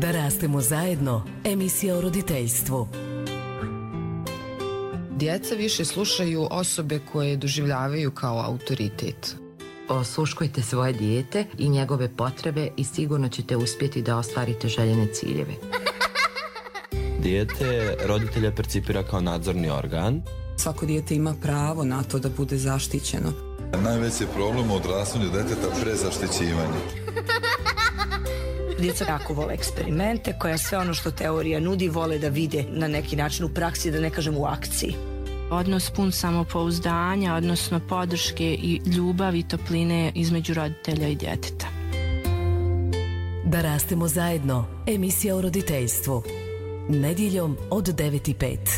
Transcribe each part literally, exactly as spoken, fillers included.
Da rastemo zajedno, emisija o roditeljstvu. Djeca više slušaju osobe koje doživljavaju kao autoritet. Osluškujte svoje dijete i njegove potrebe i sigurno ćete uspjeti da ostvarite željene ciljeve. Dijete roditelja percipira kao nadzorni organ. Svako dijete ima pravo na to da bude zaštićeno. Najveći problem u odrastanju deteta prezaštićivanje. Djeca jako vole eksperimente, koja sve ono što teorija nudi vole da vide na neki način u praksi, da ne kažem u akciji. Odnos pun samopouzdanja, odnosno podrške i ljubavi i topline između roditelja i djeteta. Da rastemo zajedno, emisija o roditeljstvu. Nedjeljom od devet i pet.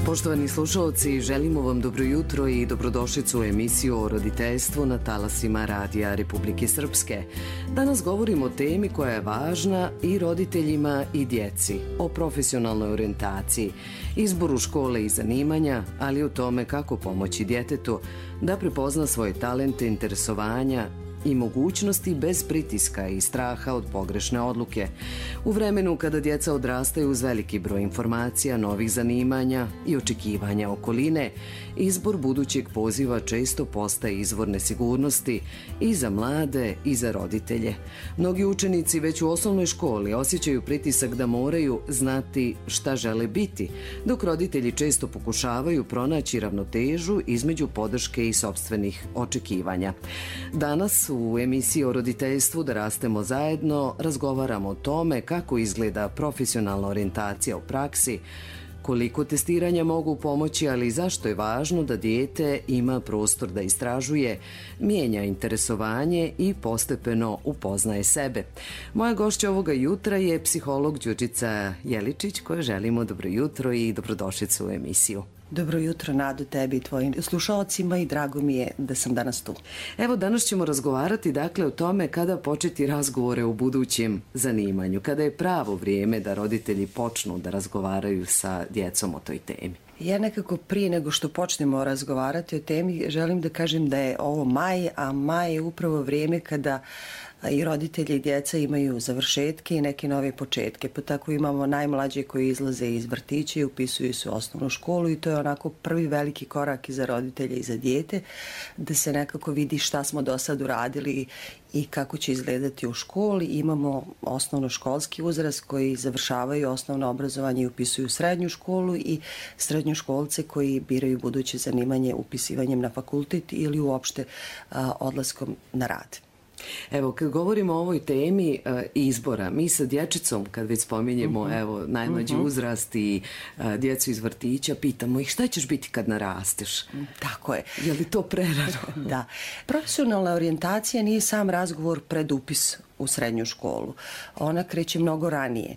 Poštovani slušalci, želimo vam dobro jutro i dobrodošlicu u emisiju o roditeljstvu na talasima Radija Republike Srpske. Danas govorimo o temi koja je važna i roditeljima i djeci, o profesionalnoj orijentaciji, izboru škole i zanimanja, ali i o tome kako pomoći djetetu da prepozna svoje talente, interesovanja i mogućnosti bez pritiska i straha od pogrešne odluke. U vremenu kada djeca odrastaju uz veliki broj informacija, novih zanimanja i očekivanja okoline, izbor budućeg poziva često postaje izvor nesigurnosti i za mlade i za roditelje. Mnogi učenici već u osnovnoj školi osjećaju pritisak da moraju znati šta žele biti, dok roditelji često pokušavaju pronaći ravnotežu između podrške i sopstvenih očekivanja. Danas u emisiji o roditeljstvu Da rastemo zajedno razgovaramo o tome kako izgleda profesionalna orijentacija u praksi, koliko testiranja mogu pomoći, ali i zašto je važno da dijete ima prostor da istražuje, mijenja interesovanje i postepeno upoznaje sebe. Moja gošća ovoga jutra je psiholog Đurđica Jeličić, kojoj želimo dobro jutro i dobrodošlicu u emisiju. Dobro jutro, Nado, tebi i tvojim slušalcima i drago mi je da sam danas tu. Evo, danas ćemo razgovarati dakle o tome kada početi razgovore o budućem zanimanju, kada je pravo vrijeme da roditelji počnu da razgovaraju sa djecom o toj temi. Ja nekako prije nego što počnemo razgovarati o temi želim da kažem da je ovo maj, a maj je upravo vrijeme kada i roditelji i djeca imaju završetke i neke nove početke. Pa tako imamo najmlađe koji izlaze iz vrtića i upisuju se u osnovnu školu i to je onako prvi veliki korak i za roditelje i za dijete, da se nekako vidi šta smo do sad uradili i kako će izgledati u školi. Imamo osnovnoškolski uzrast koji završavaju osnovno obrazovanje i upisuju srednju školu i srednjoškolce koji biraju buduće zanimanje upisivanjem na fakultet ili uopšte a, odlaskom na rad. Evo, kad govorimo o ovoj temi uh, izbora, mi sa dječicom, kad već spominjemo uh-huh. evo, najmlađi uh-huh. uzrast i uh, djecu iz vrtića, pitamo ih šta ćeš biti kad narasteš? Tako je. Je li to prerano? Da. Profesionalna orijentacija nije sam razgovor pred upis u srednju školu. Ona kreće mnogo ranije.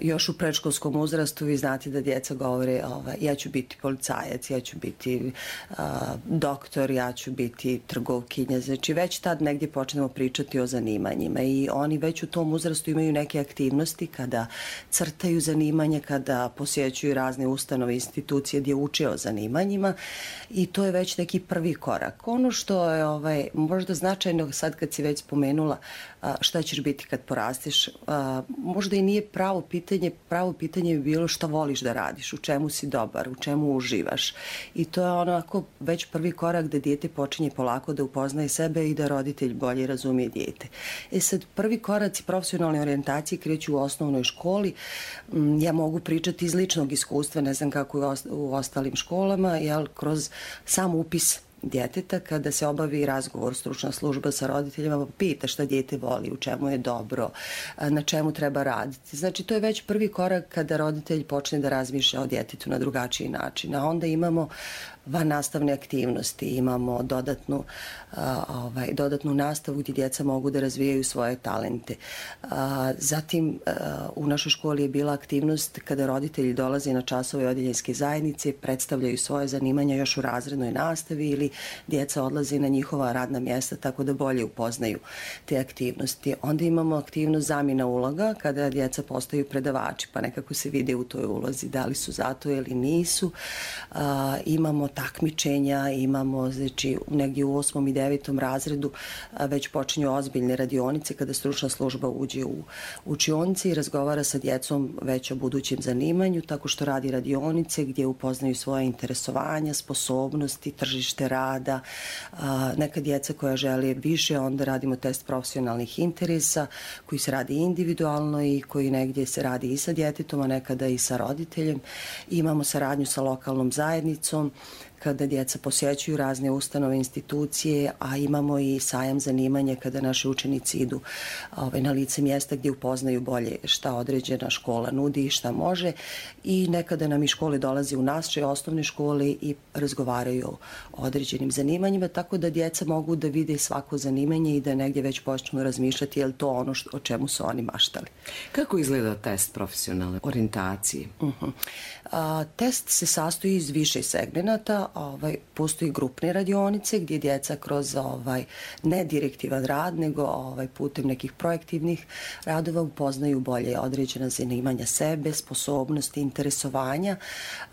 Još u predškolskom uzrastu vi znate da djeca govore ovaj, ja ću biti policajac, ja ću biti a, doktor, ja ću biti trgovkinja. Znači već tad negdje počnemo pričati o zanimanjima i oni već u tom uzrastu imaju neke aktivnosti kada crtaju zanimanje, kada posjećuju razne ustanove, institucije gdje uče o zanimanjima i to je već neki prvi korak. Ono što je ovaj, možda značajno sad kad si već spomenula a, šta ćeš biti kad porasteš, a, možda i nije pravo pitanje, pravo pitanje bi bilo šta voliš da radiš, u čemu si dobar, u čemu uživaš. I to je onako već prvi korak da dijete počinje polako da upoznaje sebe i da roditelj bolje razumije dijete. E sad, prvi koraci profesionalne orijentacije kreću u osnovnoj školi. Ja mogu pričati iz ličnog iskustva, ne znam kako je u ostalim školama, jel, kroz sam upis djeteta, kada se obavi razgovor, stručna služba sa roditeljima pita šta dijete voli, u čemu je dobro, na čemu treba raditi. Znači, to je već prvi korak kada roditelj počne da razmišlja o djetetu na drugačiji način. A onda imamo van nastavne aktivnosti, imamo dodatnu, a, ovaj, dodatnu nastavu gdje djeca mogu da razvijaju svoje talente. A, zatim a, u našoj školi je bila aktivnost kada roditelji dolaze na časove odeljenske zajednice, predstavljaju svoje zanimanja još u razrednoj nastavi ili djeca odlaze na njihova radna mjesta, tako da bolje upoznaju te aktivnosti. Onda imamo aktivnost zamjena uloga, kada djeca postaju predavači, pa nekako se vide u toj ulozi da li su zato ili nisu. A, imamo takmičenja, imamo znači, negdje u osmom i devetom razredu a, već počinju ozbiljne radionice kada stručna služba uđe u učionice i razgovara sa djecom već o budućem zanimanju, tako što radi radionice gdje upoznaju svoje interesovanja, sposobnosti, tržište rada. A, neka djeca koja žele više, onda radimo test profesionalnih interesa koji se radi individualno i koji negdje se radi i sa djetetom, a nekada i sa roditeljem. Imamo saradnju sa lokalnom zajednicom, kada djeca posjećuju razne ustanove, institucije, a imamo i sajam zanimanja kada naši učenici idu ove, na lice mjesta gdje upoznaju bolje šta određena škola nudi i šta može. I nekada nam i škole dolaze u naše osnovne škole i razgovaraju o određenim zanimanjima, tako da djeca mogu da vide svako zanimanje i da negdje već počnu razmišljati je li to ono što, o čemu su oni maštali. Kako izgleda test profesionalne orijentacije? Uh-huh. A, test se sastoji iz više segmenata. Ovaj, postoji grupne radionice gdje djeca kroz ovaj, ne direktivan rad, nego ovaj, putem nekih projektivnih radova upoznaju bolje određena zanimanja sebe, sposobnosti, interesovanja.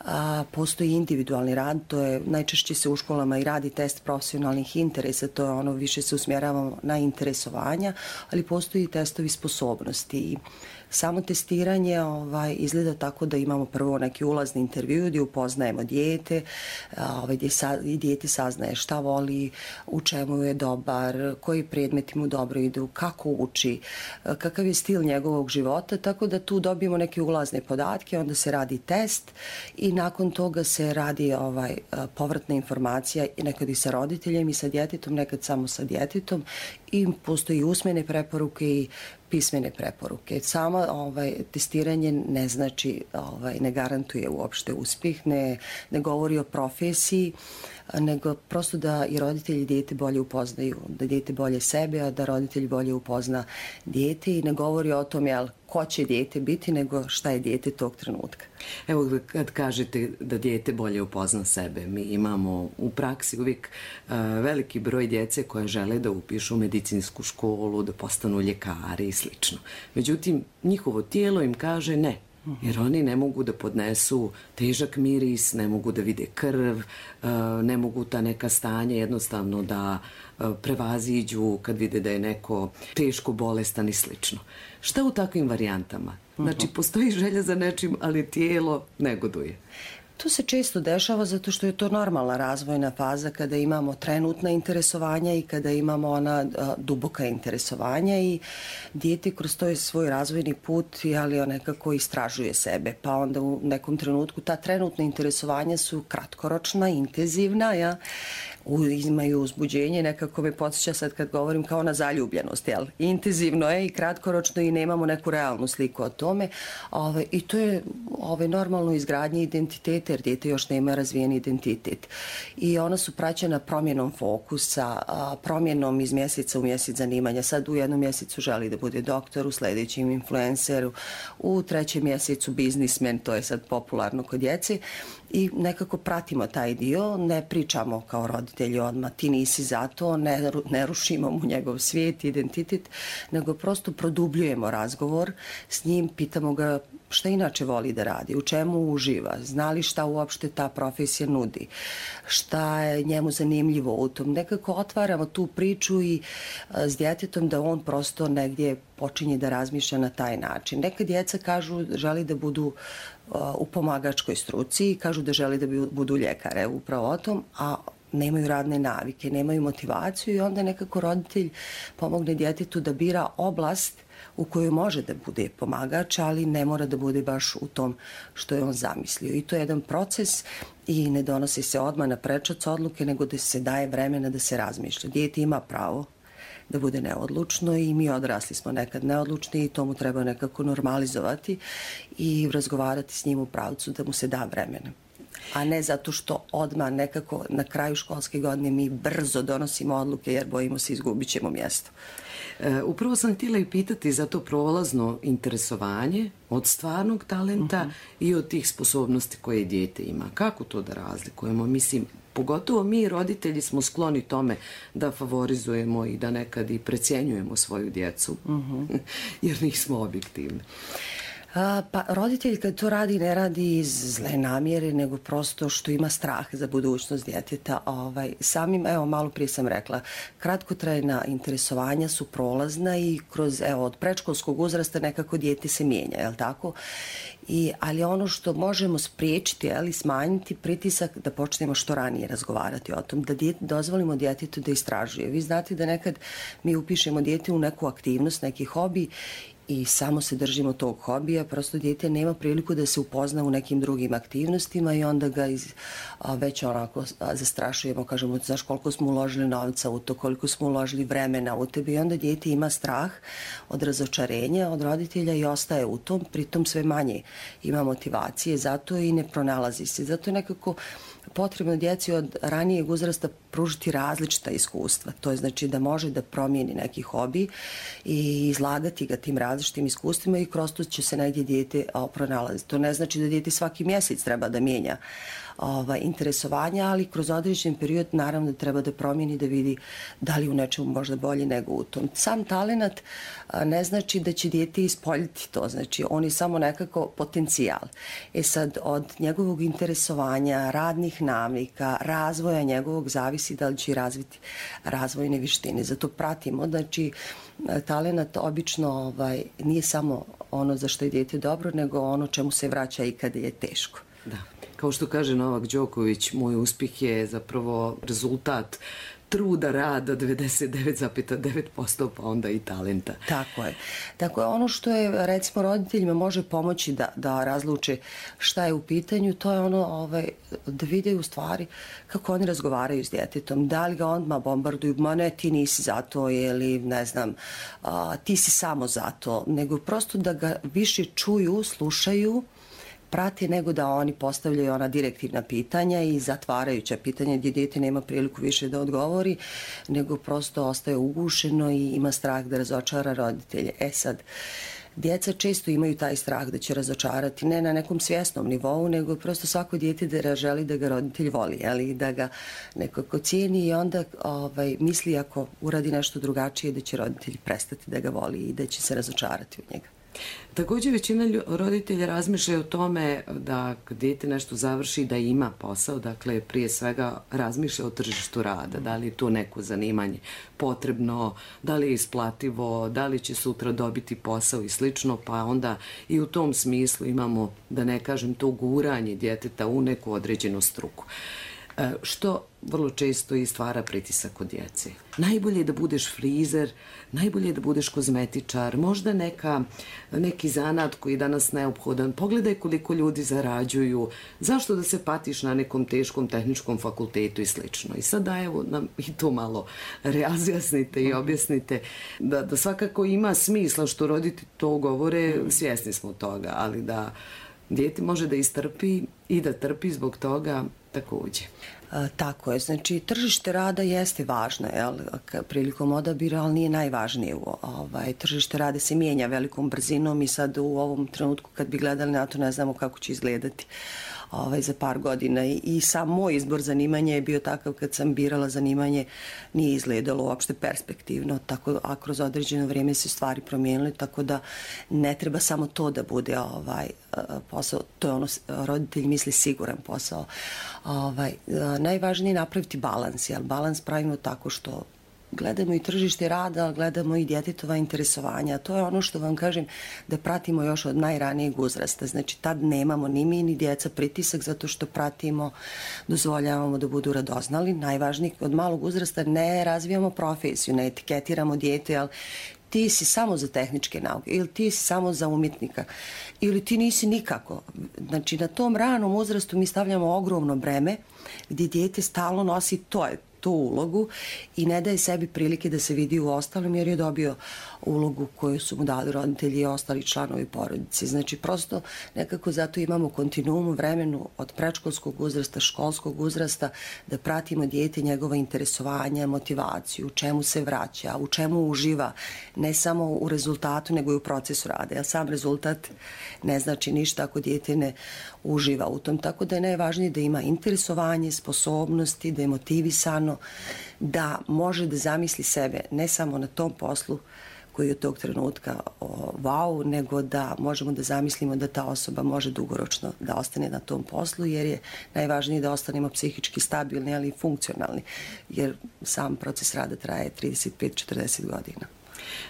A, postoji individualni rad, to je najčešće se u školama i radi test profesionalnih interesa, to je ono više se usmjeravamo na interesovanja, ali postoji i testovi sposobnosti. Samo testiranje ovaj, izgleda tako da imamo prvo neki ulazni intervju gdje upoznajemo dijete, ovaj, gdje sa, i dijete saznaje šta voli, u čemu je dobar, koji predmeti mu dobro idu, kako uči, kakav je stil njegovog života, tako da tu dobijemo neke ulazne podatke, onda se radi test i nakon toga se radi ovaj, povratna informacija nekad i sa roditeljem i sa djetetom, nekad samo sa djetetom i postoji usmene preporuke i pismene preporuke. Samo ovaj, testiranje ne znači, ovaj, ne garantuje uopšte uspjeh, ne, ne govori o profesiji, nego prosto da i roditelji dijete bolje upoznaju, da dijete bolje sebe, a da roditelj bolje upozna dijete i ne govori o tom jel, ko će dijete biti, nego šta je dijete tog trenutka. Evo kad kažete da dijete bolje upozna sebe, mi imamo u praksi uvijek uh, veliki broj djece koje žele da upišu medicinsku školu, da postanu ljekari i slično. Međutim, njihovo tijelo im kaže ne. Jer oni ne mogu da podnesu težak miris, ne mogu da vide krv, ne mogu ta neka stanja jednostavno da prevaziđu kad vide da je neko teško bolestan i slično. Šta u takvim varijantama? Znači, postoji želja za nečim, ali tijelo negoduje. To se često dešava zato što je to normalna razvojna faza kada imamo trenutna interesovanja i kada imamo ona a, duboka interesovanja i dijete kroz to je svoj razvojni put, ali on nekako istražuje sebe, pa onda u nekom trenutku ta trenutna interesovanja su kratkoročna, intenzivna, ja, u, imaju uzbuđenje, nekako me podsjeća sad kad govorim kao na zaljubljenost, jel? Intenzivno je i kratkoročno i nemamo neku realnu sliku o tome. Ove, I to je ove, normalno izgradnje identiteta, jer dijete još nema razvijen identitet. I ona su praćena promjenom fokusa, a, promjenom iz mjeseca u mjesec zanimanja. Sad u jednom mjesecu želi da bude doktor, u sljedećem influenceru, u trećem mjesecu biznismen, to je sad popularno kod djece. I nekako pratimo taj dio, ne pričamo kao roditelji odmah, ti nisi za to, ne, ne rušimo mu njegov svijet, identitet, nego prosto produbljujemo razgovor s njim, pitamo ga šta inače voli da radi, u čemu uživa, zna li šta uopšte ta profesija nudi, šta je njemu zanimljivo u tom. Nekako otvaramo tu priču i a, s djetetom da on prosto negdje počinje da razmišlja na taj način. Neka djeca kažu želi da budu a, u pomagačkoj struci i kažu da želi da budu ljekare, upravo o tom, a nemaju radne navike, nemaju motivaciju i onda nekako roditelj pomogne djetetu da bira oblast u kojoj može da bude pomagač, ali ne mora da bude baš u tom što je on zamislio. I to je jedan proces i ne donosi se odmah na prečac odluke, nego da se daje vremena da se razmišlja. Dijete ima pravo da bude neodlučno i mi odrasli smo nekad neodlučni i to mu treba nekako normalizovati i razgovarati s njim u pravcu da mu se da vremena. a ne zato što odmah nekako na kraju školske godine mi brzo donosimo odluke jer bojimo se izgubit ćemo mjesto. E, upravo sam htjela i pitati za to prolazno interesovanje od stvarnog talenta uh-huh. i od tih sposobnosti koje dijete ima. Kako to da razlikujemo? Mislim, pogotovo mi roditelji smo skloni tome da favorizujemo i da nekad i precjenjujemo svoju djecu, uh-huh. jer nismo objektivni. A, pa roditelj kad to radi ne radi iz zle namjere, nego prosto što ima strah za budućnost djeteta. Ovaj, samim, evo malo prije sam rekla, kratkotrajna interesovanja su prolazna i kroz, evo, od predškolskog uzrasta nekako dijete se mijenja, je li tako? I, ali ono što možemo spriječiti, ali smanjiti pritisak da počnemo što ranije razgovarati o tom, da djete, dozvolimo djetetu da istražuje. Vi znate da nekad mi upišemo dijete u neku aktivnost, neki hobi i samo se držimo tog hobija, prosto dijete nema priliku da se upozna u nekim drugim aktivnostima i onda ga iz, a, već onako a, zastrašujemo, kažemo, znaš koliko smo uložili novca u to, koliko smo uložili vremena u tebe i onda dijete ima strah od razočarenja od roditelja i ostaje u tom, pritom sve manje ima motivacije, zato i ne pronalazi se. Zato je nekako potrebno djeci od ranijeg uzrasta pružiti različita iskustva. To je znači da može da promijeni neki hobi i izlagati ga tim različitim iskustvima i kroz to će se negdje dijete pronalaziti. To ne znači da dijete svaki mjesec treba da mijenja Ova, interesovanja, ali kroz određen period naravno treba da promijeni, da vidi da li u nečemu možda bolje nego u tom. Sam talenat ne znači da će dijete ispoljiti to, znači on je samo nekako potencijal. E sad, od njegovog interesovanja, radnih navika, razvoja njegovog zavisi da li će razviti razvojne vještine. Zato pratimo, znači talenat obično ovaj, nije samo ono za što je dijete dobro, nego ono čemu se vraća i kada je teško. Da. Kao što kaže Novak Đoković, moj uspjeh je zapravo rezultat truda, rada, devedeset devet zarez devet posto, pa onda i talenta. Tako je. Tako je. Ono što je, recimo, roditeljima može pomoći da, da razluče šta je u pitanju, to je ono ovaj, da vide u stvari kako oni razgovaraju s djetetom. Da li ga odmah bombarduju, ma ne, ti nisi za to, ili ne znam, a, ti si samo za to, nego prosto da ga više čuju, slušaju, prati nego da oni postavljaju ona direktivna pitanja i zatvarajuća pitanja gdje dijete nema priliku više da odgovori, nego prosto ostaje ugušeno i ima strah da razočara roditelje. E sad, djeca često imaju taj strah da će razočarati, ne na nekom svjesnom nivou, nego prosto svako dijete da želi da ga roditelj voli, ali da ga nekako cijeni i onda ovaj, misli ako uradi nešto drugačije da će roditelj prestati da ga voli i da će se razočarati u njega. Također većina roditelja razmišlja o tome da kad dijete nešto završi da ima posao, dakle prije svega razmišlja o tržištu rada, da li je to neko zanimanje potrebno, da li je isplativo, da li će sutra dobiti posao i slično, pa onda i u tom smislu imamo, da ne kažem, to guranje djeteta u neku određenu struku. Što vrlo često i stvara pritisak kod djece. Najbolje je da budeš frizer, najbolje je da budeš kozmetičar, možda neka, neki zanat koji je danas neophodan. Pogledaj koliko ljudi zarađuju, zašto da se patiš na nekom teškom tehničkom fakultetu i slično. I sada evo nam i to malo razjasnite i objasnite da, da svakako ima smisla što roditelji to govore, svjesni smo toga, ali da dijete može da istrpi i da trpi zbog toga također. A, tako je, znači tržište rada jeste važno, jel, prilikom odabira, ali nije najvažnije. Ovaj, tržište rada se mijenja velikom brzinom i sad u ovom trenutku kad bi gledali na to ne znamo kako će izgledati ovaj, za par godina. I, i sam moj izbor zanimanja je bio takav kad sam birala zanimanje, nije izgledalo uopšte perspektivno, tako, a kroz određeno vrijeme se stvari promijenile, tako da ne treba samo to da bude ovaj, posao, to je ono, roditelji misli siguran posao. Ovaj, najvažnije je napraviti balans, jer balans pravimo tako što gledamo i tržište rada, gledamo i djetetova interesovanja. To je ono što vam kažem da pratimo još od najranijeg uzrasta. Znači tad nemamo ni mi ni djeca pritisak zato što pratimo, dozvoljavamo da budu radoznali. Najvažnije od malog uzrasta ne razvijamo profesiju, ne etiketiramo dijete, ali ti si samo za tehničke nauke ili ti si samo za umjetnika ili ti nisi nikako. Znači na tom ranom uzrastu mi stavljamo ogromno breme gdje dijete stalno nosi to je tu ulogu i ne daje sebi prilike da se vidi u ostalom jer je dobio ulogu koju su mu dali roditelji i ostali članovi porodice. Znači prosto nekako zato imamo kontinuum u vremenu od predškolskog uzrasta, školskog uzrasta da pratimo dijete, njegova interesovanja, motivaciju, u čemu se vraća, u čemu uživa, ne samo u rezultatu nego i u procesu rada. Ja sam rezultat ne znači ništa ako dijete ne uživa u tom. Tako da je najvažnije da ima interesovanje, sposobnosti, da je motivisano, da može da zamisli sebe ne samo na tom poslu koji je od tog trenutka o, wow, nego da možemo da zamislimo da ta osoba može dugoročno da ostane na tom poslu, jer je najvažnije da ostanemo psihički stabilni, ali i funkcionalni, jer sam proces rada traje trideset pet do četrdeset godina.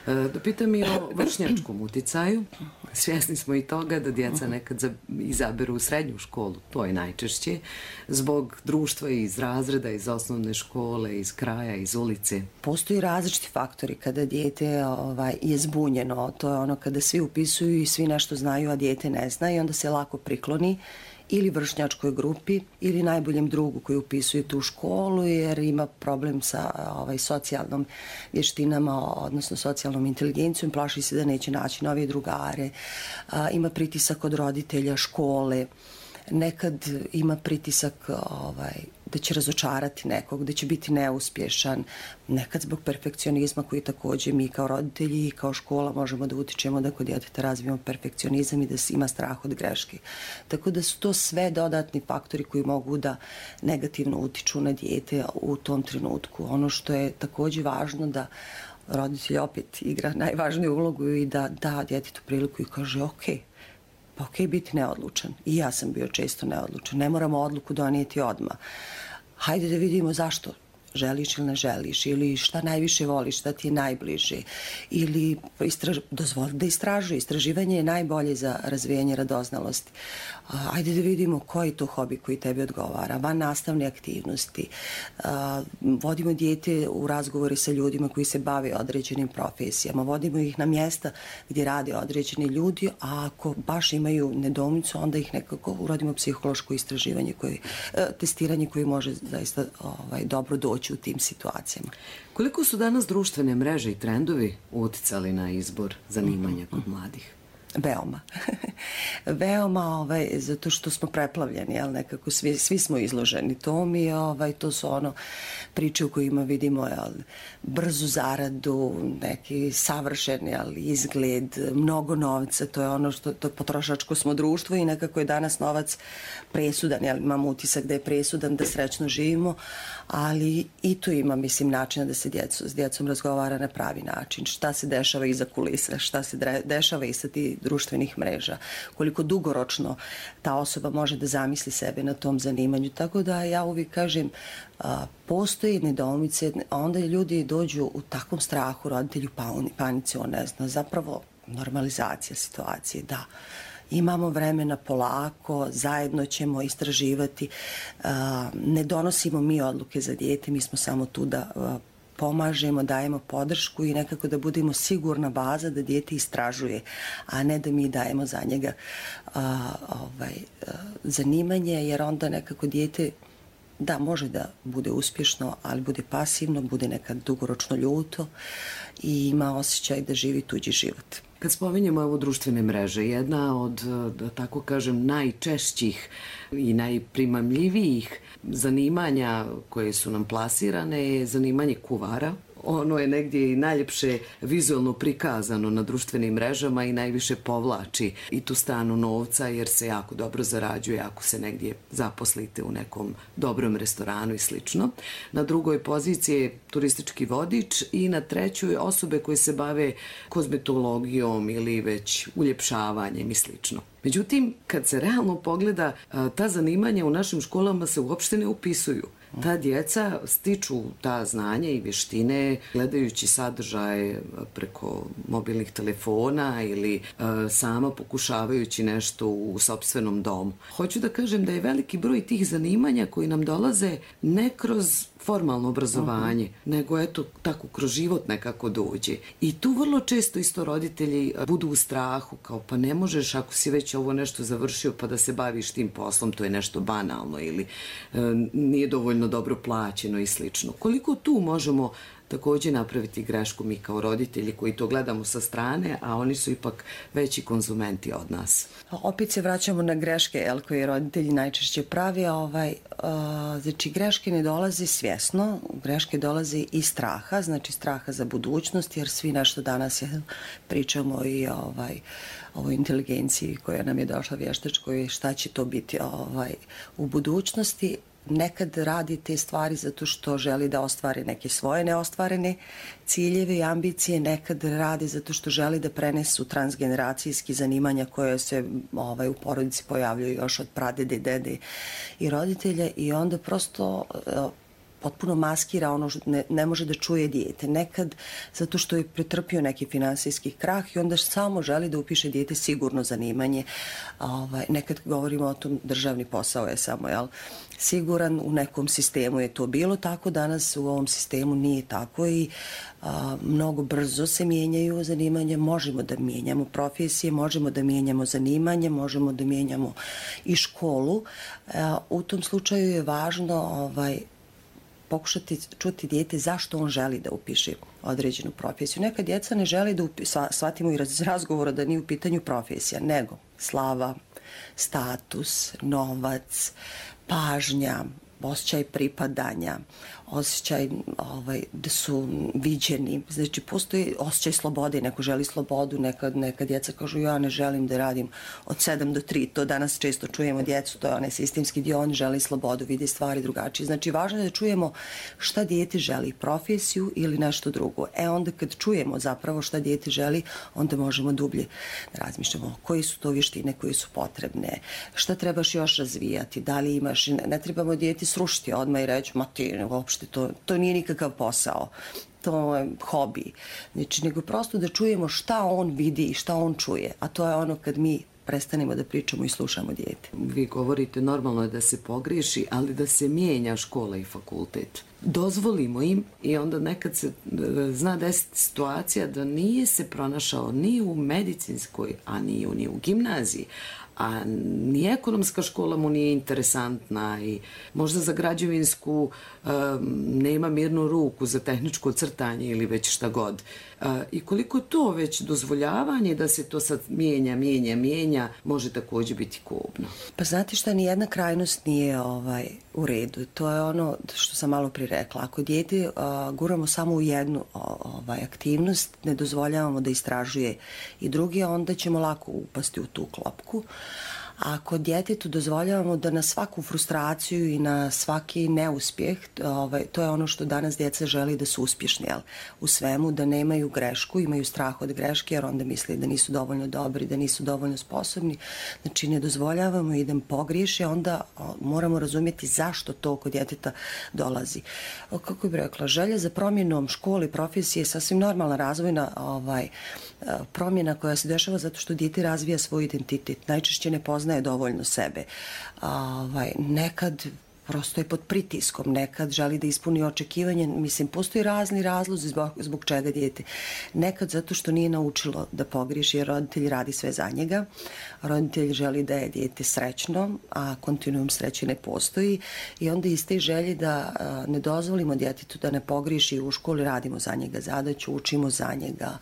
Da pitam i o vršnjačkom uticaju. Svjesni smo i toga da djeca nekad izaberu srednju školu, to je najčešće, zbog društva iz razreda, iz osnovne škole, iz kraja, iz ulice. Postoji različiti faktori kada dijete ovaj, je zbunjeno. To je ono kada svi upisuju i svi nešto znaju, a dijete ne zna i onda se lako prikloni ili vršnjačkoj grupi ili najboljem drugu koji upisuje tu školu jer ima problem sa ovaj, socijalnom vještinama, odnosno socijalnom inteligencijom, plaši se da neće naći nove drugare, a, ima pritisak od roditelja, škole, nekad ima pritisak ovaj, da će razočarati nekog, da će biti neuspješan, nekad zbog perfekcionizma koji također mi kao roditelji i kao škola možemo da utičemo da kod djeteta razvijemo perfekcionizam i da ima strah od greške. Tako da su to sve dodatni faktori koji mogu da negativno utiču na dijete u tom trenutku. Ono što je također važno da roditelj opet igra najvažniju ulogu i da da djetetu priliku i kaže ok, pa ok biti neodlučan. I ja sam bio često neodlučan. Ne moramo odluku donijeti odmah. Hajde da vidimo zašto želiš ili ne želiš, ili šta najviše voliš, šta ti je najbliže, ili istraž... dozvoli da istražuje. Istraživanje je najbolje za razvijanje radoznalosti. Ajde da vidimo koji to hobi koji tebi odgovara, van nastavne aktivnosti. Vodimo dijete u razgovore sa ljudima koji se bave određenim profesijama, vodimo ih na mjesta gdje rade određeni ljudi, a ako baš imaju nedoumicu, onda ih nekako uradimo psihološko istraživanje, koje, testiranje koje može zaista ovaj, dobro doći u tim situacijama. Koliko su danas društvene mreže i trendovi uticali na izbor zanimanja kod mladih? Veoma. Veoma, ovaj, zato što smo preplavljeni, jel, nekako svi, svi smo izloženi tom i ovaj, to su ono priče u kojima vidimo jel, brzu zaradu, neki savršen jel, izgled, mnogo novca, to je ono što to potrošačko smo društvo i nekako je danas novac presudan, jel, imamo utisak da je presudan, da srećno živimo, ali i tu ima, mislim, načina da se djecu, s djecom razgovara na pravi način. Šta se dešava iza kulisa, šta se dešava i sa ti društvenih mreža, koliko dugoročno ta osoba može da zamisli sebe na tom zanimanju. Tako da ja uvijek kažem, a, postoje nedoumice, a onda ljudi dođu u takvom strahu, roditelju panici, on ne zna, zapravo normalizacija situacije, da. Imamo vremena polako, zajedno ćemo istraživati, a, ne donosimo mi odluke za dijete, mi smo samo tu da a, pomažemo, dajemo podršku i nekako da budemo sigurna baza da dijete istražuje, a ne da mi dajemo za njega a, ovaj, a, zanimanje, jer onda nekako dijete da može da bude uspješno, ali bude pasivno, bude nekad dugoročno ljuto i ima osjećaj da živi tuđi život. Kad spominjemo ovo društvene mreže, jedna od, da tako kažem, najčešćih i najprimamljivijih zanimanja koje su nam plasirane je zanimanje kuvara. Ono je negdje i najljepše vizualno prikazano na društvenim mrežama i najviše povlači i tu stanu novca jer se jako dobro zarađuje ako se negdje zaposlite u nekom dobrom restoranu i slično. Na drugoj poziciji je turistički vodič i na trećoj osobe koje se bave kozmetologijom ili već uljepšavanjem i slično. Međutim, kad se realno pogleda, ta zanimanja u našim školama se uopšte ne upisuju. Ta djeca stiču ta znanja i vještine gledajući sadržaj preko mobilnih telefona ili e, sama pokušavajući nešto u sopstvenom domu. Hoću da kažem da je veliki broj tih zanimanja koji nam dolaze ne kroz formalno obrazovanje, uh-huh. nego eto tako kroz život nekako dođe. I tu vrlo često isto roditelji budu u strahu, kao pa ne možeš ako si već ovo nešto završio pa da se baviš tim poslom, to je nešto banalno ili e, nije dovoljno dovoljno dobro plaćeno i slično. Koliko tu možemo također napraviti grešku mi kao roditelji koji to gledamo sa strane, a oni su ipak veći konzumenti od nas? Opet se vraćamo na greške jel, koje roditelji najčešće pravi. Ovaj, uh, znači, greške ne dolaze svjesno, greške dolaze iz straha, znači straha za budućnost, jer svi nešto danas jel, pričamo i ovaj, o inteligenciji koja nam je došla vještačkoj, šta će to biti ovaj, u budućnosti. Nekad radi te stvari zato što želi da ostvari neke svoje neostvarene ciljeve i ambicije, nekad radi zato što želi da prenesu transgeneracijski zanimanja koje se ovaj, u porodici pojavljaju još od pradede, dede i roditelja i onda prosto potpuno maskira ono što ne, ne može da čuje dijete. Nekad zato što je pretrpio neki finansijski krah i onda samo želi da upiše dijete sigurno zanimanje. Ovaj, nekad govorimo o tom državni posao je samo, jel? Siguran, u nekom sistemu je to bilo tako, danas u ovom sistemu nije tako i a, mnogo brzo se mijenjaju zanimanje, možemo da mijenjamo profesije, možemo da mijenjamo zanimanje, možemo da mijenjamo i školu. A, u tom slučaju je važno ovaj, pokušati čuti dijete zašto on želi da upiše određenu profesiju. Neka djeca ne želi da upiše, shvatimo iz razgovora da nije u pitanju profesija, nego slava, status, novac, pažnja, osjećaj pripadanja, osjećaj ovaj, da su viđeni. Znači, postoji osjećaj slobode, neko želi slobodu, neka, neka djeca kažu ja ne želim da radim od sedam do tri, to danas često čujemo djecu, to je onaj sistemski dio, on želi slobodu, vidi stvari drugačije. Znači, važno je da čujemo šta dijete želi, profesiju ili nešto drugo. E onda kad čujemo zapravo šta dijete želi, onda možemo dublje da razmišljamo koji su to vještine koje su potrebne, šta trebaš još razvijati, da li imaš, ne trebamo dijete srušiti odmah i reći, ma ti, uopšte, to, to nije nikakav posao, to je hobi. Znači, nego prosto da čujemo šta on vidi i šta on čuje, a to je ono kad mi prestanemo da pričamo i slušamo dijete. Vi govorite normalno je da se pogriješi, ali da se mijenja škola i fakultet. Dozvolimo im i onda nekad se zna desiti situacija da nije se pronašao ni u medicinskoj, a ni u, ni u gimnaziji, a ni ekonomska škola mu nije interesantna i možda za građevinsku um, nema mirnu ruku, za tehničko crtanje ili već šta god. Uh, I koliko to već dozvoljavanje da se to sad mijenja, mijenja, mijenja, može također biti kobno. Pa znate šta, nijedna krajnost nije ovaj, u redu. To je ono što sam malo prije rekla. Ako dijete uh, guramo samo u jednu ovaj, aktivnost, ne dozvoljavamo da istražuje i drugi, onda ćemo lako upasti u tu klopku. A ako djetetu dozvoljavamo da na svaku frustraciju i na svaki neuspjeh, ovaj, to je ono što danas djeca želi da su uspješni, jel? U svemu, da nemaju grešku, imaju strah od greške jer onda misle da nisu dovoljno dobri, da nisu dovoljno sposobni. Znači ne dozvoljavamo i da pogriješe, onda moramo razumjeti zašto to kod djeteta dolazi. O, kako bih rekla, želja za promjenom škole i profesije je sasvim normalna razvojna ovaj, promjena koja se dešava zato što dijete razvija svoj identitet. Najčešće ne poznaje dovoljno sebe. Ovaj, nekad prosto je pod pritiskom, nekad želi da ispuni očekivanje. Mislim, postoji razni razlozi zbog, zbog čega dijete. Nekad zato što nije naučilo da pogriješi jer roditelj radi sve za njega. Roditelj želi da je dijete srećno, a kontinuum sreće ne postoji i onda iz te želje da a, ne dozvolimo djetetu da ne pogriješi u školi, radimo za njega zadaću, učimo za njega,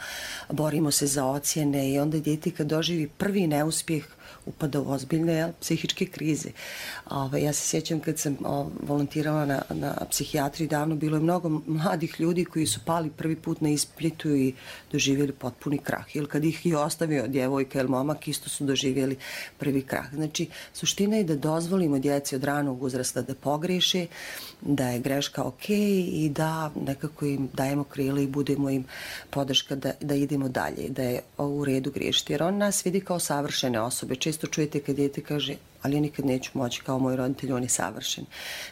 borimo se za ocjene i onda dijete kad doživi prvi neuspjeh upada u ozbiljne jel, psihičke krize. Ove, ja se sjećam kad sam o, volontirala na, na psihijatriji davno, bilo je mnogo mladih ljudi koji su pali prvi put na ispitu i doživjeli potpuni krah. Ili kad ih i ostavio djevojka ili momak, isto su doživjeli prvi krah. Znači, suština je da dozvolimo djeci od ranog uzrasta da pogreše, da je greška ok i da nekako im dajemo krila i budemo im podrška da, da idemo dalje, da je u redu griješiti. Jer on nas vidi kao savršene osobe. Često čujete kad dijete kaže, ali ja nikad neću moći kao moj roditelj, on je savršen.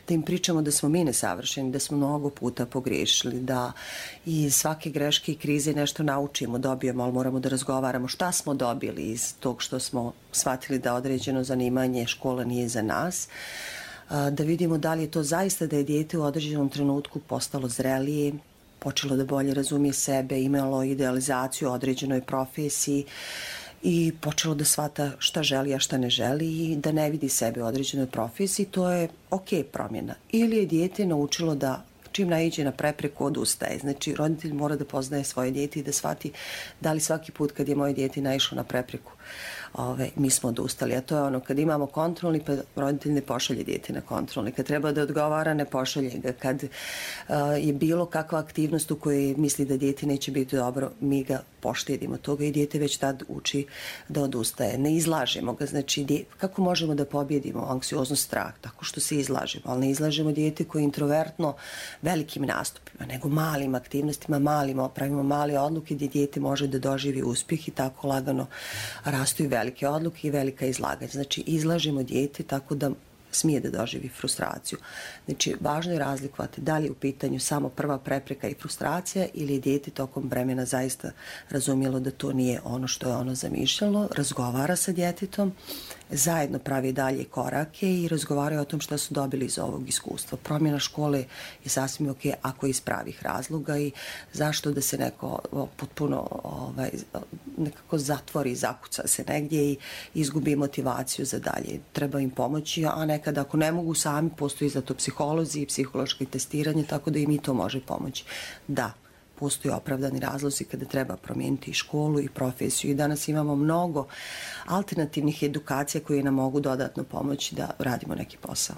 Da im pričamo da smo mi nesavršeni, da smo mnogo puta pogriješili, da iz svake greške i krize nešto naučimo, dobijemo, ali moramo da razgovaramo šta smo dobili iz tog što smo shvatili da određeno zanimanje škola nije za nas. Da vidimo da li je to zaista da je dijete u određenom trenutku postalo zrelije, počelo da bolje razumije sebe, imalo idealizaciju o određenoj profesiji i počelo da shvata šta želi, a šta ne želi i da ne vidi sebe u određenoj profesiji, to je ok promjena. Ili je dijete naučilo da čim naiđe na prepreku odustaje. Znači, roditelj mora da poznaje svoje dijete i da shvati da li svaki put kad je moje dijete naišlo na prepreku, ove, mi smo odustali. A to je ono, kad imamo kontrolni, pa roditelj ne pošalje dijete na kontrolni. Kad treba da odgovara, ne pošalje ga. Kad uh, je bilo kakva aktivnost u kojoj misli da dijete neće biti dobro, mi ga poštedimo toga i dijete već tad uči da odustaje. Ne izlažemo ga. Znači, dje, kako možemo da pobjedimo anksioznost, strah? Tako što se izlažemo. Ali ne izlažemo dijete koje je introvertno velikim nastupima, nego malim aktivnostima, malim, pravimo male odluke gdje dijete može da doživi uspjeh i tako lagano rastu i velike odluke i velika izlaganja. Znači, izlažemo dijete tako da smije da doživi frustraciju. Znači, važno je razlikovati da li je u pitanju samo prva prepreka i frustracija ili je dijete tokom vremena zaista razumjelo da to nije ono što je ono zamišljalo, razgovara sa djetetom, zajedno pravi dalje korake i razgovaraju o tom što su dobili iz ovog iskustva. Promjena škole je sasvim ok ako je iz pravih razloga i zašto da se neko potpuno ovaj, nekako zatvori, zakuca se negdje i izgubi motivaciju za dalje. Treba im pomoći, a nekada ako ne mogu sami, postoji za to psiholozi i psihološko testiranje, tako da im i to može pomoći. Da, postoji opravdani razlozi kada treba promijeniti i školu i profesiju i danas imamo mnogo alternativnih edukacija koje nam mogu dodatno pomoći da radimo neki posao.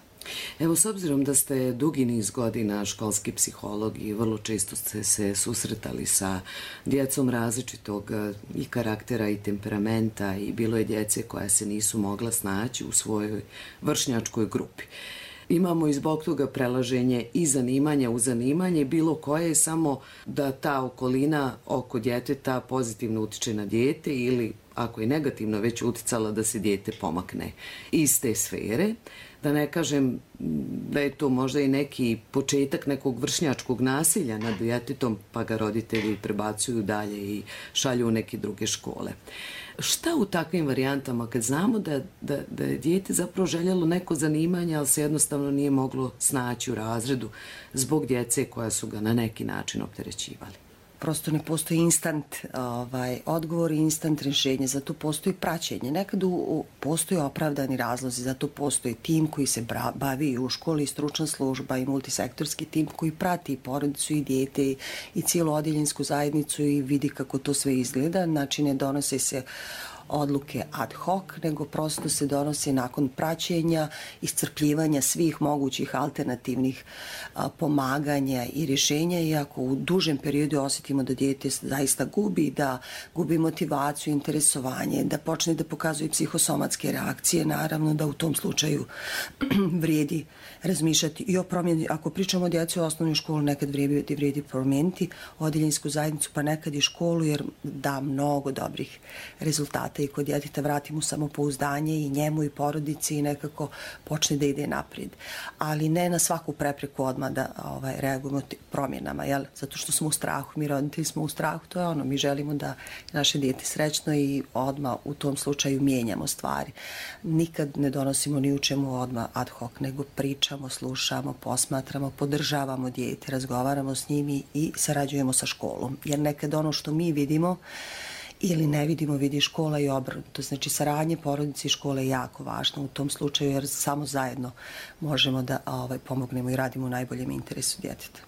Evo, s obzirom da ste dugi niz godina školski psiholog i vrlo često ste se susretali sa djecom različitog i karaktera i temperamenta i bilo je djece koja se nisu mogla snaći u svojoj vršnjačkoj grupi. Imamo i zbog toga prelaženje i zanimanja u zanimanje, bilo koje, samo da ta okolina oko djeteta pozitivno utiče na dijete ili ako je negativno već uticala da se dijete pomakne iz te sfere. Da ne kažem da je to možda i neki početak nekog vršnjačkog nasilja nad djetetom, pa ga roditelji prebacuju dalje i šalju u neke druge škole. Šta u takvim varijantama kad znamo da, da, da je dijete zapravo željelo neko zanimanje, ali se jednostavno nije moglo snaći u razredu zbog djece koja su ga na neki način opterećivali? Prosto ne postoji instant ovaj, odgovor i instant rješenje, zato postoji praćenje. Nekad u, u, postoji opravdani razlozi, zato postoji tim koji se bra, bavi i u školi, i stručna služba i multisektorski tim koji prati i porodicu i dijete i, i cijelu odjeljinsku zajednicu i vidi kako to sve izgleda. Znači, ne donose se odluke ad hoc, nego prosto se donosi nakon praćenja, iscrpljivanja svih mogućih alternativnih a, pomaganja i rješenja i ako u dužem periodu osjetimo da dijete zaista gubi, da gubi motivaciju, interesovanje, da počne da pokazuje psihosomatske reakcije, naravno da u tom slučaju vrijedi razmišljati i o promjeni. Ako pričamo o djeci u osnovnoj školi, nekad vrijedi, vrijedi promijeniti odjeljinsku zajednicu, pa nekad i školu, jer da mnogo dobrih rezultata i kod djeteta vrati mu samopouzdanje i njemu i porodici i nekako počne da ide naprijed. Ali ne na svaku prepreku odmah da ovaj, reagujemo promjenama, jel? Zato što smo u strahu, mi roditelji smo u strahu, to je ono, mi želimo da naše dijete srećno i odmah u tom slučaju mijenjamo stvari. Nikad ne donosimo ni u čemu odmah ad hoc, nego pričamo, slušamo, posmatramo, podržavamo dijete, razgovaramo s njimi i sarađujemo sa školom. Jer nekad ono što mi vidimo ili ne vidimo, vidi škola i obrnuto. Znači, saradnje porodice i škole je jako važno u tom slučaju, jer samo zajedno možemo da ovaj, pomognemo i radimo u najboljem interesu djeteta.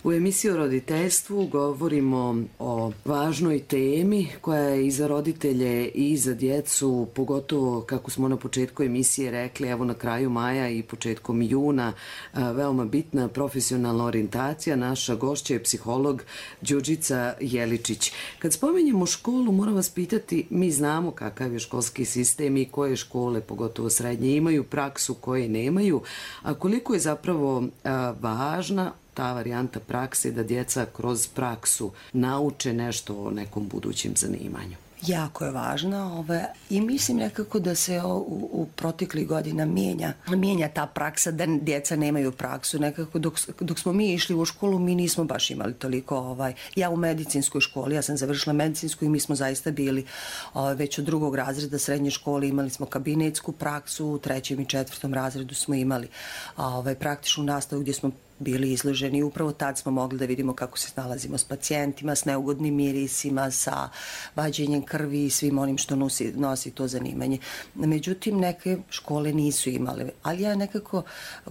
U emisiji o roditeljstvu govorimo o važnoj temi koja je i za roditelje i za djecu, pogotovo kako smo na početku emisije rekli, evo na kraju maja i početkom juna, veoma bitna profesionalna orijentacija. Naša gošća je psiholog Đurđica Jeličić. Kad spomenjemo školu, moram vas pitati, mi znamo kakav je školski sistem i koje škole, pogotovo srednje, imaju praksu, koje nemaju, a koliko je zapravo a, važna ta varijanta prakse da djeca kroz praksu nauče nešto o nekom budućem zanimanju. Jako je važna ove, i mislim nekako da se u, u proteklih godina mijenja, mijenja ta praksa da djeca nemaju praksu. Nekako dok, dok smo mi išli u školu, mi nismo baš imali toliko, ovaj, ja u medicinskoj školi, ja sam završila medicinsku i mi smo zaista bili ovaj, već od drugog razreda srednje škole, imali smo kabinetsku praksu, u trećem i četvrtom razredu smo imali ovaj, praktičnu nastavu gdje smo bili izloženi. Upravo tad smo mogli da vidimo kako se nalazimo s pacijentima, s neugodnim mirisima, sa vađenjem krvi i svim onim što nosi, nosi to zanimanje. Međutim, neke škole nisu imale, ali ja nekako,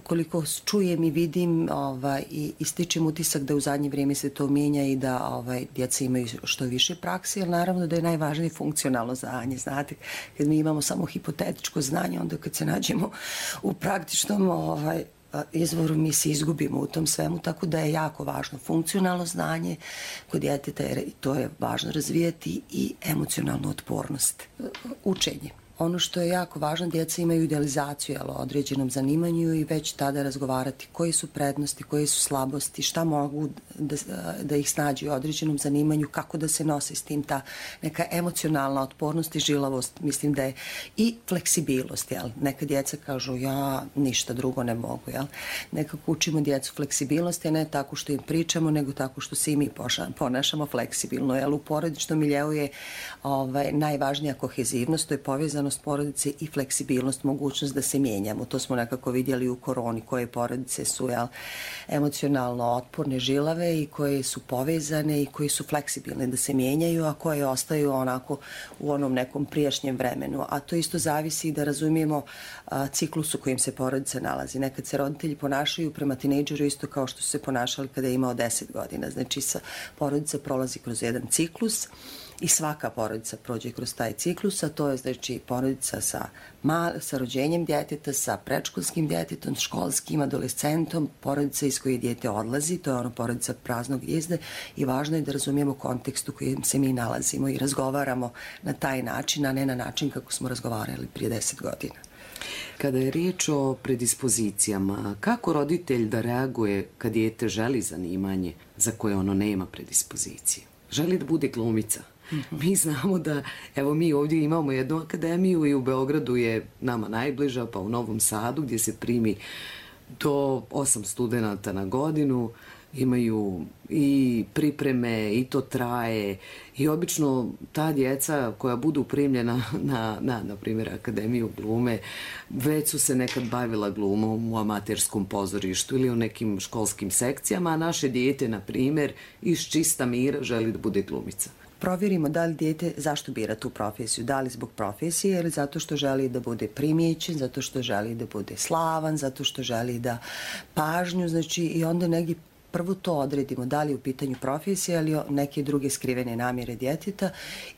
koliko čujem i vidim ovaj, i, i stičem utisak da u zadnje vrijeme se to mijenja i da ovaj, djeca imaju što više prakse, jer naravno da je najvažnije funkcionalno znanje. Znate, kad mi imamo samo hipotetičko znanje, onda kad se nađemo u praktičnom ovaj, izvoru mi se izgubimo u tom svemu, tako da je jako važno funkcionalno znanje kod djeteta, jer to je važno razvijati, i emocionalnu otpornost, učenje. Ono što je jako važno, djeca imaju idealizaciju jel, o određenom zanimanju i već tada razgovarati koji su prednosti, koje su slabosti, šta mogu da, da ih snađi u određenom zanimanju, kako da se nose s tim, ta neka emocionalna otpornost i žilavost, mislim da je i fleksibilnost. Jel. Neka djeca kažu ja ništa drugo ne mogu. Jel. Nekako učimo djecu fleksibilnosti, a ne tako što im pričamo, nego tako što se i mi ponašamo fleksibilno. Jel. U porodičnom miljeu je ovaj, najvažnija kohezivnost, to je povezano porodice i fleksibilnost, mogućnost da se mijenjamo. To smo nekako vidjeli u koroni, koje porodice su jel, emocionalno otporne, žilave i koje su povezane i koje su fleksibilne da se mijenjaju, a koje ostaju onako u onom nekom prijašnjem vremenu. A to isto zavisi da razumijemo a, ciklus u kojem se porodica nalazi. Nekad se roditelji ponašaju prema tinejdžeru isto kao što su se ponašali kada je imao deset godina. Znači, sa, porodica prolazi kroz jedan ciklus i svaka porodica prođe kroz taj ciklus, a to je znači porodica sa, mal, sa rođenjem djeteta, sa predškolskim djetetom, školskim, adolescentom, porodica iz koje djete odlazi, to je ono porodica praznog gnijezda, i važno je da razumijemo kontekst u kojem se mi nalazimo i razgovaramo na taj način, a ne na način kako smo razgovarali prije deset godina. Kada je riječ o predispozicijama, kako roditelj da reaguje kad dijete želi zanimanje za koje ono nema predispozicije? Želi da bude glumica. Mi znamo da, evo mi ovdje imamo jednu akademiju i u Beogradu je nama najbliža, pa u Novom Sadu gdje se primi do osam studenata na godinu, imaju i pripreme i to traje i obično ta djeca koja budu primljena na, na, na primjer, Akademiju glume, već su se nekad bavila glumom u amaterskom pozorištu ili u nekim školskim sekcijama, a naše dijete, na primjer, iz čista mira želi da bude glumica. Provjerimo da li dijete, zašto bira tu profesiju, da li zbog profesije ili zato što želi da bude primijećen, zato što želi da bude slavan, zato što želi da pažnju, znači i onda negdje prvo to odredimo, da li je u pitanju profesije ili neke druge skrivene namjere djeteta,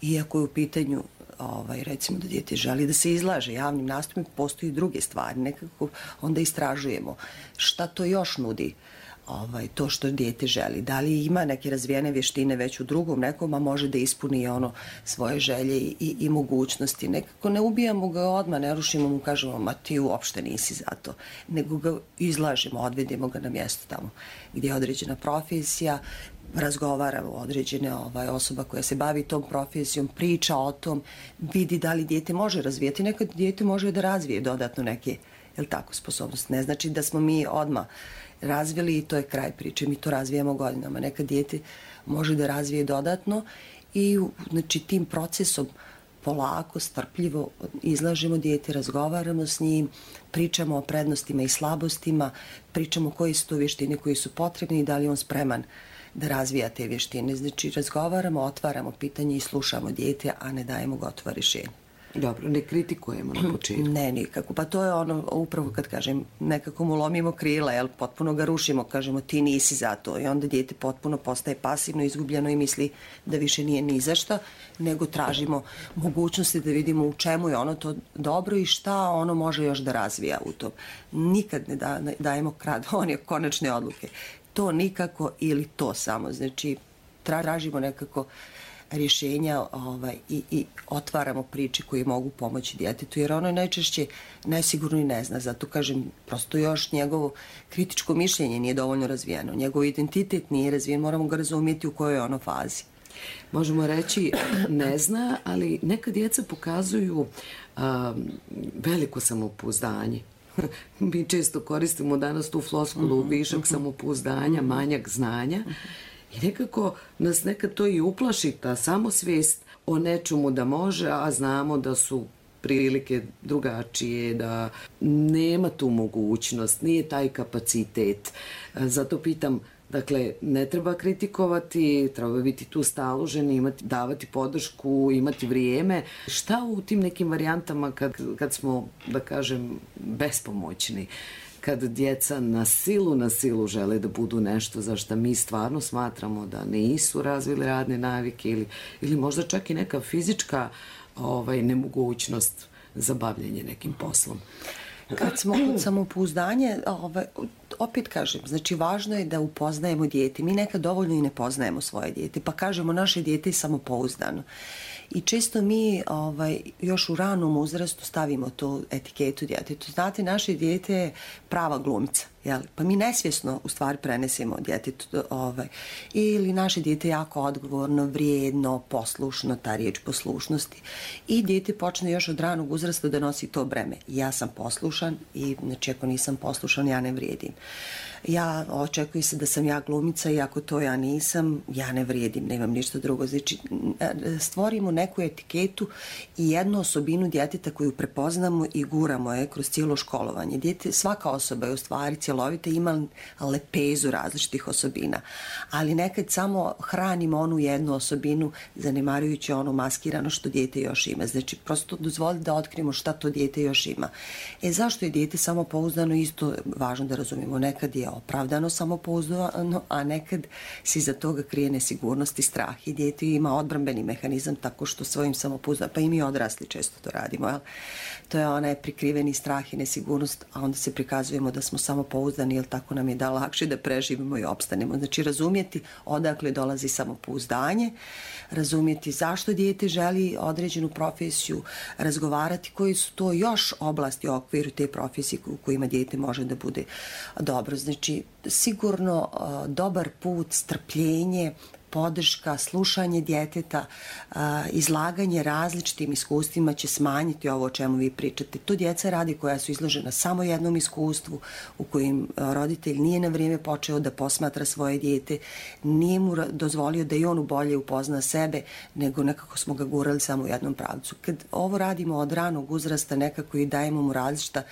i ako je u pitanju ovaj, recimo da dijete želi da se izlaže javnim nastupima, postoji druge stvari, nekako onda istražujemo šta to još nudi. Ovaj, to što dijete želi. Da li ima neke razvijene vještine već u drugom nekom, a može da ispuni ono svoje želje i, i, i mogućnosti. Nekako ne ubijamo ga odmah, ne rušimo mu, kažemo, ma ti uopšte nisi za to, nego ga izlažemo, odvedemo ga na mjesto tamo gdje je određena profesija, razgovaramo određene ovaj, osoba koja se bavi tom profesijom, priča o tom, vidi da li dijete može razvijeti. Nekad dijete može da razvije dodatno neke, jel tako, sposobnosti. Ne znači da smo mi odmah razvili i to je kraj priče, mi to razvijamo godinama. Neka dijete može da razvije dodatno i znači, tim procesom polako, strpljivo izlažemo dijete, razgovaramo s njim, pričamo o prednostima i slabostima, pričamo koje su to vještine koje su potrebne i da li je on spreman da razvija te vještine. Znači razgovaramo, otvaramo pitanje i slušamo dijete, a ne dajemo gotovo rješenje. Dobro, ne kritikujemo na početku. Ne, nikako. Pa to je ono, upravo kad kažem, nekako mu lomimo krila, jel, potpuno ga rušimo, kažemo ti nisi za to. I onda dijete potpuno postaje pasivno, izgubljeno i misli da više nije ni za šta, nego tražimo mogućnosti da vidimo u čemu je ono to dobro i šta ono može još da razvija u tom. Nikad ne da, dajemo krad, on je konačne odluke. To nikako ili to samo. Znači, tražimo nekako rješenja ovaj, i, i otvaramo priče koje mogu pomoći djetetu, jer ono je najčešće najsigurno i ne zna. Zato kažem, prosto još njegovo kritičko mišljenje nije dovoljno razvijeno. Njegov identitet nije razvijen, moramo ga razumjeti u kojoj je ono fazi. Možemo reći ne zna, ali neka djeca pokazuju a, veliko samopouzdanje. Mi često koristimo danas tu floskulu, višak samopouzdanja, manjak znanja. I nekako nas nekad to i uplaši, ta samosvijest o nečemu da može, a znamo da su prilike drugačije, da nema tu mogućnost, nije taj kapacitet. Zato pitam, dakle, ne treba kritikovati, treba biti tu staloženi, imati, davati podršku, imati vrijeme. Šta u tim nekim varijantama kad, kad smo, da kažem, bespomoćni? Kad djeca na silu, na silu žele da budu nešto za što mi stvarno smatramo da nisu razvili radne navike ili, ili možda čak i neka fizička ovaj, nemogućnost za bavljenje nekim poslom. Kad smo kod samopouzdanje, ovaj, opet kažem, znači važno je da upoznajemo dijete. Mi nekad dovoljno i ne poznajemo svoje dijete, pa kažemo naše dijete je samopouzdano. I često mi ovaj, još u ranom uzrastu stavimo tu etiketu djetetu. Znate, naše dijete je prava glumica, jel? Pa mi nesvjesno u stvari prenesemo djetetu. Ovaj, ili naše dijete je jako odgovorno, vrijedno, poslušno, ta riječ poslušnosti. I dijete počne još od ranog uzrasta da nosi to breme. Ja sam poslušan i znači ako nisam poslušan ja ne vrijedim. Ja očekuju se da sam ja glumica i ako to ja nisam, ja ne vrijedim, nemam ništa drugo. Znači, stvorimo neku etiketu i jednu osobinu djeteta koju prepoznamo i guramo je kroz cijelo školovanje. Djete, svaka osoba je u stvari cjelovita, ima lepezu različitih osobina, ali nekad samo hranimo onu jednu osobinu, zanemarujući onu maskirano što dijete još ima. Znači, prosto dozvoli da otkrimo šta to dijete još ima. E, zašto je dijete samopouzdano? Isto važno da razumijemo. Nekad je opravdano samopouzdano, a nekad se iza toga krije nesigurnost i strah. I dijete ima odbrambeni mehanizam tako što svojim samopouzdanom, pa i mi odrasli često to radimo, jel? To je onaj prikriveni strah i nesigurnost, a onda se prikazujemo da smo samopouzdani, jer tako nam je da lakše da preživimo i opstanemo. Znači, razumjeti odakle dolazi samopouzdanje, razumjeti zašto dijete želi određenu profesiju, razgovarati koji su to još oblasti u okviru te profesije u kojima dijete može da bude dobro. Znači, sigurno uh, dobar put, strpljenje, podrška, slušanje djeteta, uh, izlaganje različitim iskustvima će smanjiti ovo o čemu vi pričate. To djeca radi koja su izložena samo jednom iskustvu u kojem roditelj nije na vrijeme počeo da posmatra svoje dijete, nije mu dozvolio da i on bolje upozna sebe, nego nekako smo ga gurali samo u jednom pravcu. Kad ovo radimo od ranog uzrasta, nekako i dajemo mu različita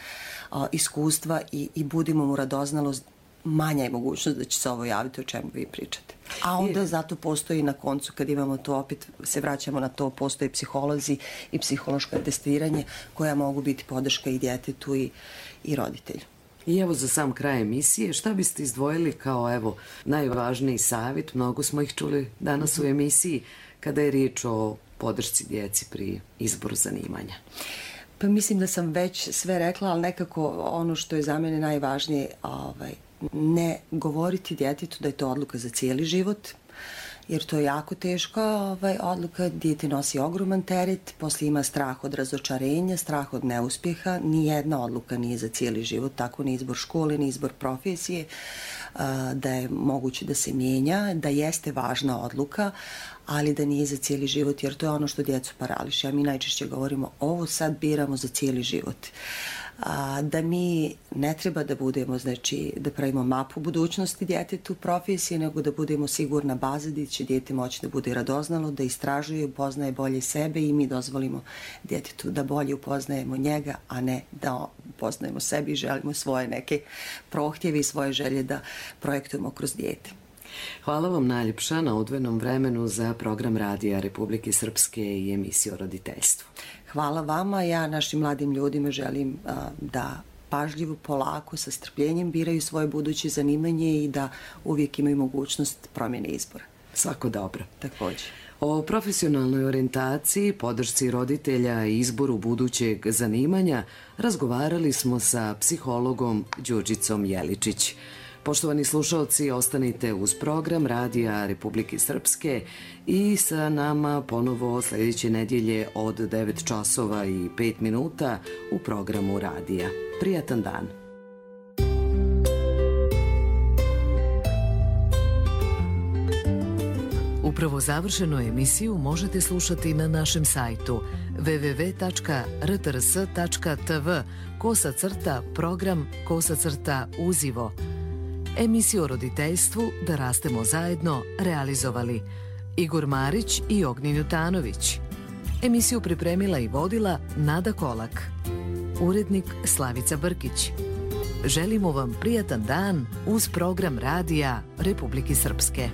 uh, iskustva i, i budimo mu radoznalost, manja je mogućnost da će se ovo javiti o čemu vi pričate. A onda zato postoji na koncu, kad imamo to, opet se vraćamo na to, postoje psiholozi i psihološko testiranje koja mogu biti podrška i djetetu i, i roditelju. I evo za sam kraj emisije, šta biste izdvojili kao evo najvažniji savjet, mnogo smo ih čuli danas u emisiji, kada je riječ o podršci djeci pri izboru zanimanja? Pa mislim da sam već sve rekla, ali nekako ono što je za mene najvažnije, ovaj, ne govoriti djetetu da je to odluka za cijeli život, jer to je jako teška ovaj, odluka. Dijete nosi ogroman teret, poslije ima strah od razočarenja, strah od neuspjeha. Nijedna odluka nije za cijeli život, tako ni izbor škole, ni izbor profesije, da je moguće da se mijenja, da jeste važna odluka, ali da nije za cijeli život, jer to je ono što djecu parališe. A mi najčešće govorimo, ovo sad biramo za cijeli život. A, da mi ne treba da budemo, znači, da pravimo mapu budućnosti djetetu profesije, nego da budemo sigurna baza gdje će dijete moći da bude radoznalo, da istražuje, upoznaje bolje sebe i mi dozvolimo djetetu da bolje upoznajemo njega, a ne da upoznajemo sebi i želimo svoje neke prohtjeve i svoje želje da projektujemo kroz dijete. Hvala vam najljepša na odvojenom vremenu za program Radija Republike Srpske i emisiju o roditeljstvu. Hvala vama. Ja našim mladim ljudima želim a, da pažljivo, polako, sa strpljenjem biraju svoje buduće zanimanje i da uvijek imaju mogućnost promjene izbora. Svako dobro. Također. O profesionalnoj orijentaciji, podršci roditelja i izboru budućeg zanimanja razgovarali smo sa psihologom Đurđicom Jeličić. Poštovani slušalci, ostanite uz program Radija Republike Srpske i sa nama ponovo sljedeće nedjelje od devet časova i pet minuta u programu Radija. Prijatan dan! Upravo završenu emisiju možete slušati na našem sajtu w w w tačka r t r s tačka t v kosa crta program kosa crta uzivo. Emisiju o roditeljstvu Da rastemo zajedno realizovali Igor Marić i Ognjen Jutanović. Emisiju pripremila i vodila Nada Kolak. Urednik Slavica Brkić. Želimo vam prijatan dan uz program radija Republike Srpske.